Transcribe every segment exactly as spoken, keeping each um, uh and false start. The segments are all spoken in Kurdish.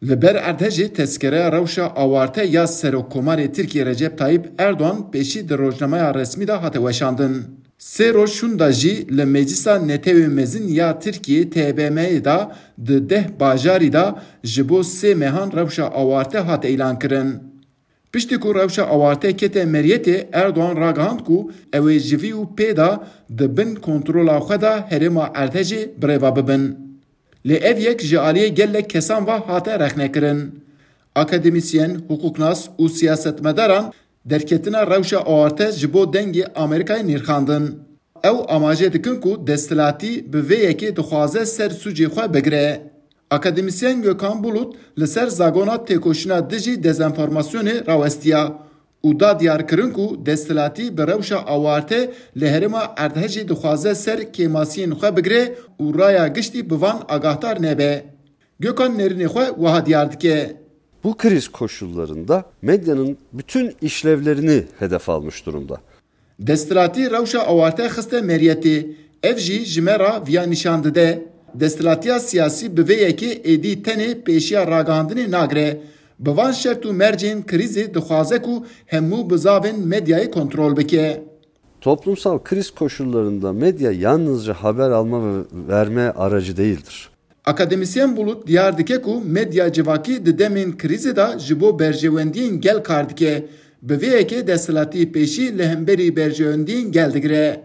Li ber erdhejê tezkereya rewşa awarte ya Serokkomarê Tirkiyê Recep Tayyip Erdogan pêşî di rojnameya resmî de hate weşandin. Sê roj şûnda jî li Meclisa Netewê Mezin ya Tirkiyê T B M'yê de di deh bajarî de ji bo sê mehan rewşa awarte hate îlankirin. Piştî ku rewşa awarte kete meriyetê, Erdogan ragihand ku ew ê ji vî û pê de di bin kontrola xwe de herêma erdhejê birêve bibin. Lê ev yek ji aliyê gelek kesan ve hate rexnekirin. Akademîsyen, hiqûqnas û siyasetmedaran derketina rewşa awarte ji bo Dengê Amerîkayê nirxandin. Ew amaje dikin ku desthilatî bi vê yekê dixwaze ser sûcê xwe bigire. Akademîsyen Gökhan Bulut li ser zagona têkoşîna dijî dezenformasyonê rawestiya û da diyarkirin ku desthilatî bi rewşa awarte li herêma erdhejê dixwaze ser kêmasiyên xwe bigire û raya giştî bi van agahdar nebe. Gökhan nêrînê xwe wiha diyar dike. Bu kriz koşullarında medyanın bütün işlevlerini hedef almış durumda. Desthilatî rewşa awarte xiste meriyetê. Ev jî ji me re viya nîşan dide. Desthilatiya siyasî bi vê yekê êdî tenê pêşiya ragihandinê nagire. Bi van şert û mercên krîzê dixwaze ku hemû bizavên medyayê kontrol bike. Toplumsal kriz koşullarında medya yalnızca haber alma ve verme aracı değildir. Akademîsyen Bulut diyar dike ku medya civakî di demên krîzê de ji bo berjewendiyên gel kar dike. Bi vê yekê desthilatî pêşî li hemberî berjewendiyên gel digire.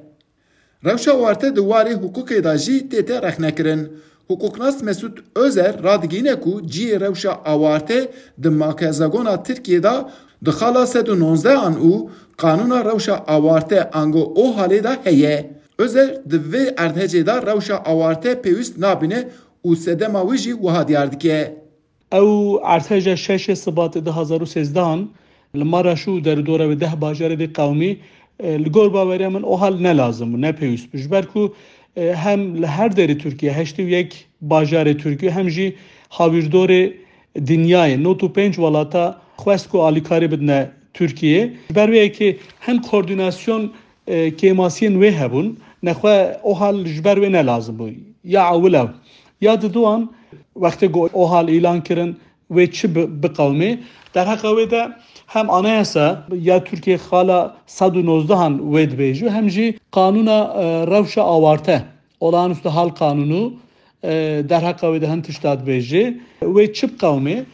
Rewşa awarte di warê hiqûqê de jî tête rexnekirin. Hiqûqnas Mesûd Ozer radigihîne ku cihê rewşa awarte di makezagona Tirkiyê de di xala sed û nozdeh an û qanûna rewşa awarte ango OHAL'ê de heye. Ozer di vê erdhejê de rewşa awarte pêwîst nabîne û sedema wî jî wiha diyar dike. Ew erdheja şeşê Sibatê du hazar û sêzdeh an li Maraş û derûdora wê deh bajarê dê qewimî, e, li gor baweriya min OHAL ne lazim bû, ne pêwîst bû. Ji ber ku, e, hem li her derê Tirkiye, heştê û yek bajarê Tirkiye, hem jî hawîrdorê dinyayê, nod û pênc welata xwest ku alîkarî bidine Tirkiyê. Ji ber wê yekê hin koordînasyon, e, kêmasiyên wê hebûn, nexwe OHAL ji ber wê ne lazim bû. Ya ewil ew. Ya diduan, wextê ku OHAL îlan kirin, wê çi bi-, biqewimê? Derheqa wê de hem anayasa ya Tirkiyê xala sed û nozdeh an wê dibêjî, hem jî qanûna, e, rewşa awarte, olağanüstü hal kanunu, e, derheqa wê de hin tişta dibêjê. Wê çi biqewimê?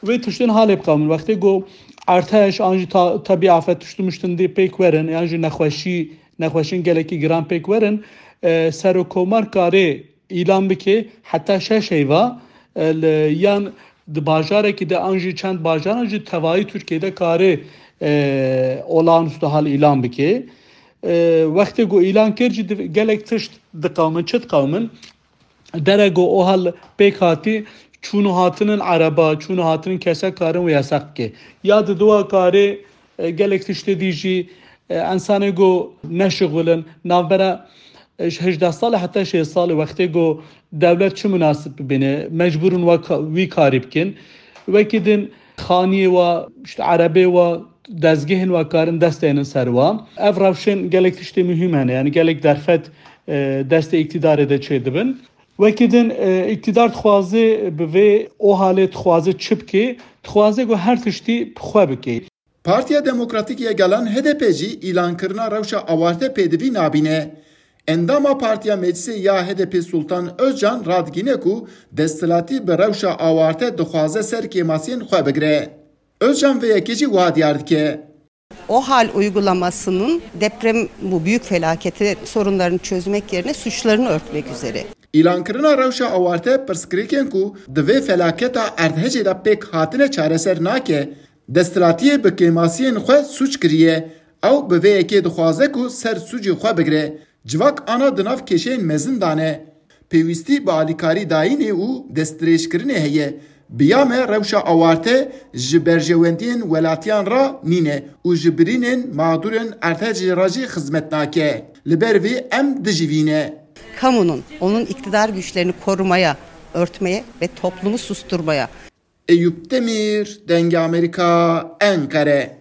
Wê tiştên halê biqewimin. Wextê ku erteş an jî ta-, tebî afet tişt û miştin dê pêk werin, yan jî nexweşî, nexweşên gelekî giran pêk werin, e, serokkomar karê îlan bike heta şeş heyva, e, li, yan di bajarekî de an jî çend bajaran jî tevayî Tirkiyê de karê, e, olağanüstü hal îlan bike. E, wextê ku îlan kir jî div-, gelek tişt diqewimin, çi diqewimin? Dere ku OHAL pêk hatî, çûn û hatinin ereba, çûn û hatinin kese karin wê yasak bike. Ya di dua karê, e, gelek tiştê dî jî, e, ensanê ku neşixulin, navbera, e, hejdeh salê heta şêst salê wextê ku dewlet çi munasib bibîne, mecbûr in wa ka-, wî karî bikin. Wekî din xaniyê wa, işte erebê wa, dezgehên wa karin dest deynin ser wa. Ev rewşên gelek tiştê muhîm hene, yani gelek derfet, e, destê îktîdarê de çêdibin. Wekî din, e, îktîdar dixwaze bi vê OHAL'ê dixwaze çi bike? Dixwaze ku her tiştî bi xwe bike. Partiya Demokratîk ya Gelan, HDP, jî îlankirina rewşa awarte pêdivî nabîne. Endama Partiya Meclisê ya HDP Sultan Özcan radigîne ku desthilatî bi rewşa awarte dixwaze ser kêmasiyên xwe bigire. Özcan vê yekê jî wiha diyar dike. OHAL uygulamasının deprem, bu büyük felaketi, sorunlarını çözmek yerine suçlarını örtmek üzere. Îlankirina rewşa awarte pirsgirêkên ku di vê felaketa erdhejê de pêk hatine çareser nake. Desthilatiyê bi kêmasiyên xwe sûc kiriye. Ew bi vê yekê dixwaze ku ser sûcê xwe bigire. Civak ana di nav kêşeyên mezin de ne. Pêwîstî bi alîkarî dayînê û destdirêjkirinê heye. Bi ya me rewşa awarte ji berjewendiyên welatiyan re nîne û ji birînên mexdûrên erdhejê re jî xizmet nake. Li ber vê em dijî vî ne. Kamunun, onun iktidar güçlerini korumaya, örtmeye ve toplumu susturmaya Eyüp Demir, Dengê Amerîka, Enqere.